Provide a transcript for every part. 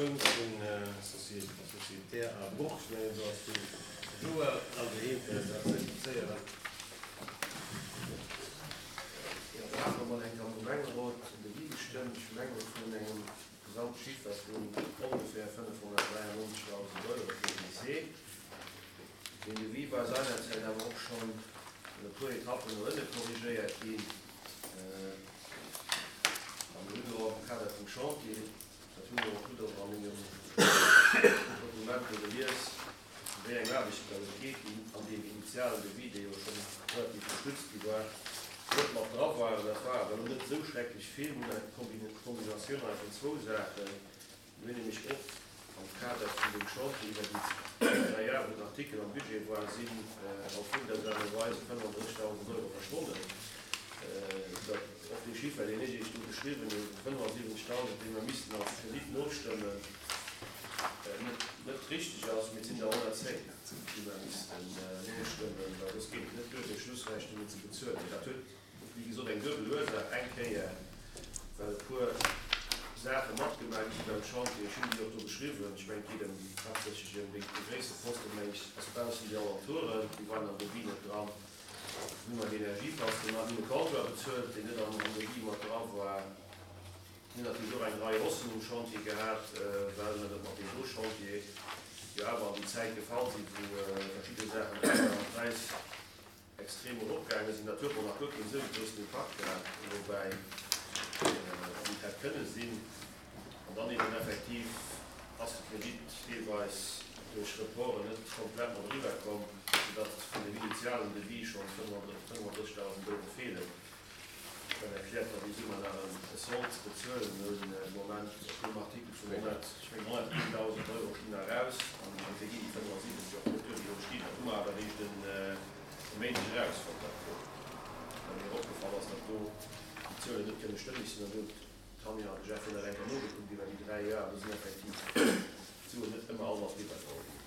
Schoul vun Sociétaire à Bruch, ech mengen do ass de Joël all doheem fir eis dat ze explizéieren. Jo, do hate mer mol eng Kéier am Gemengerot en Devis gestëmmt, ech mengen vun engem Gesamtchiffer vun ongeféier 593.000 Euro fir de Lycée. Deen Devis war seinerzäit awer och schonn an e puer Etappen no ënne korrigéiert ginn. A mir hunn elo am Kader vum Chantier, dat hunn der och gutt och a mengem Dokument do gelies, ëm wéi eng Aarbechten datt et geet, déi an deem initialen Devis, dee jo schonn relativ gestützt gi war, net mat dra waren. Dat war awer elo net esou schrecklech vill. Mir hunn eng Kombinatioun hei vun zwou Saachen. Mir hunn nämlech och am Kader vun deem Chantier iwwer déi dräi Jahre, wou den Artikel am Budget war, sinn op wundersame Weis 35.000 Euro verschwonnen. Datt och dee Chiffer, deen ech Iech do geschriwwen hunn, vu 75.000, dee mer missten als Kredit nostëmmen, net net richteg ass. Mee et sinn der 110, déi mer missten nostëmmen, well soss geet et net duer, fir d'Schlussrechnungen ze bezuelen. Dat huet Wéi gesot, eng duebel Ursaach, Eng Kéier, well e puer Saache matgemaach gi sinn beim Chantier, ech hunn déi och do beschriwwen, ech mengen, et geet ëm haaptsächlech ëm dee gréisste Posten, meng ech, ass baussen déi Alentoure, déi waren am Devis net dran. Dann hu mer d'Energiepass gemaach, mir hunn e Compteur bezuelt, deen net am Devis mat dra war. Mir hunn natierlech och eng Rei Haussen um Chantier gehat, well mer dat mat deem do Chantier jo awer an déi Zäit gefall sinn, wou verschidde Saachen am Präis extrem eropgaange sinn. Dat huet mol nach guer keen esou groussen Impakt gehat, woubäi wéi et hätt kënne sinn. An dann eben effektiv ass de Kredit deelweis duerch Reporten net komplett mat eriwwer komm, soudatt vun dem initialen Devis schonn 35.000 Euro feelen. Dat erkläert dann déi Summer nach e Sold ze bezuelen hunn de Moment op deem Artikel vun 100, ech mengen 101.000 Euro stinn nach aus an dofir ginn déi 75 och net duer, déi do stinn. Dat hu mer awer eréischt e Méindeg erausfonnt, dat do, well mir opgefall ass, datt do déi Zuelen net kënne stëmmeg sinn. An do hunn d'Tanja an de Jeff jo nach eng Kéier nogekuckt iwwer déi 3 Joer an do sinn effektiv d'Suen net ëmmer all mat eriwwergeholl ginn.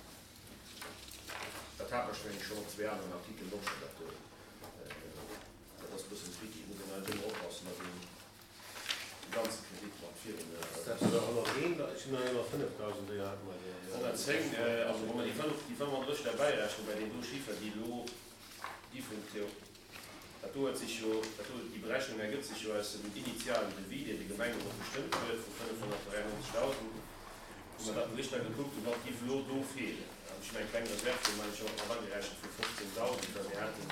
Dat hat mer, ech mengen, schonn op zwee aneren Artikelen och schonn dat do. Dat ass e bëssen tricky, et muss een eigentlech ëmmer oppassen, datt een de ganze Kredit mat virun. Ass dat der 101? Ech hunn nach ëmmer 5.000, déi hate mer jo. 110, also wa mer déi 35 derbäirechnen bei deem do Chiffer, déi elo gi vum Théo, dat do huet sech jo, dat do, déi Berechnung ergëtt sech jo aus dem initialen Devis, deen de Gemengerot gestëmmt huet, vu 593.000. Hu mer dat Bericht da gekuckt hunn, wat géif elo do feelen? An ech hunn eng kleng Reserv do, mengen ech, och mat agerechent vu 15.000, well mir haten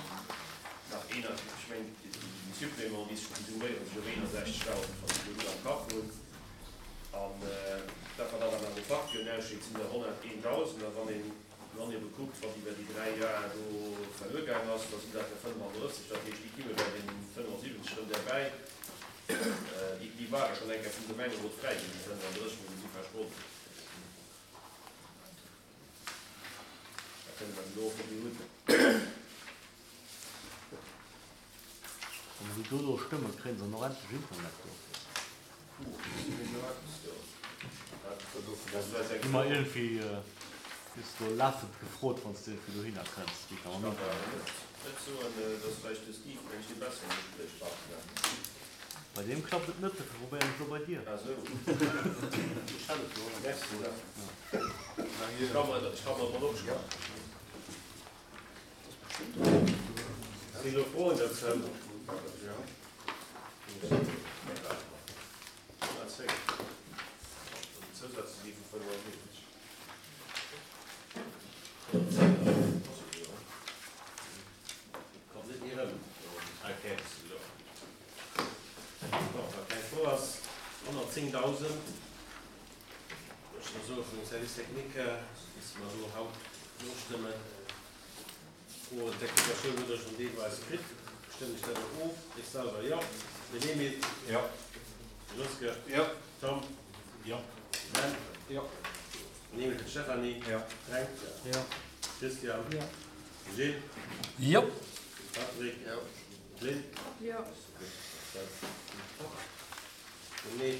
nach een, ech mengen, déi Suppléments, déi summéiere sech op 61.000, wann ech elo gutt am Kapp hunn. An dat, wat awer an de Facturen aussteet, sinn der 101.000. A wann een dann ebe kuckt, wat iwwer déi dräi Joer do verluer gaang ass, da sinn dat der 35. Dat heescht, déi kimme bei den 75 erëm derbäi. Déi ware schonn eng Kéier vum Gemengerot fräiginn, déi 35, mee déi si verschwonnen. Da kënne mer elo och déi hunn. Wann se do elo stëmmen, kréien se och endlech Internet do. Gi mer iergendwéi gëss do lafend gefrot, wann s de iergendwéi dohinner kënns, wéi ka mam Internet. Bei deem klappt et net, dofir probéieren ech elo bei dir. Sinn do Froen dozou? Bon, wa keng Fro ass, 110.000, ech soll soe vum Service technique, misste mer do haut nostëmmen. Froen d'Explikatioun hutt Der schonn deelweis kritt. Stëmmen ech dat och of? Ech selwer jo. Den Emile? Jo. De Joske? Jo. Tom? Jo. Ben? Jo. Den Emile fir d'Stéphanie? Jo. Fränk? Jo. Christian? Jo. Gilles? Jo. Patrick? Jo. Lynn? Jo. Gutt. Nee.